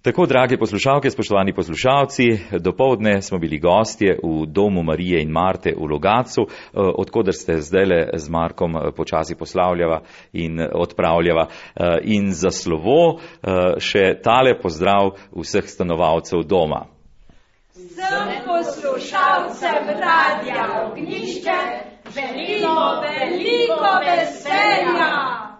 Tako, drage poslušalke, spoštovani poslušalci, dopoldne smo bili gostje v Domu Marije in Marte v Logatcu, odkoder ste zdajle z Markom počasi poslavljava in odpravljava. In za slovo še tale pozdrav vseh stanovalcev doma. Vsem poslušalcem Radia Ognjišče želimo veliko veselja!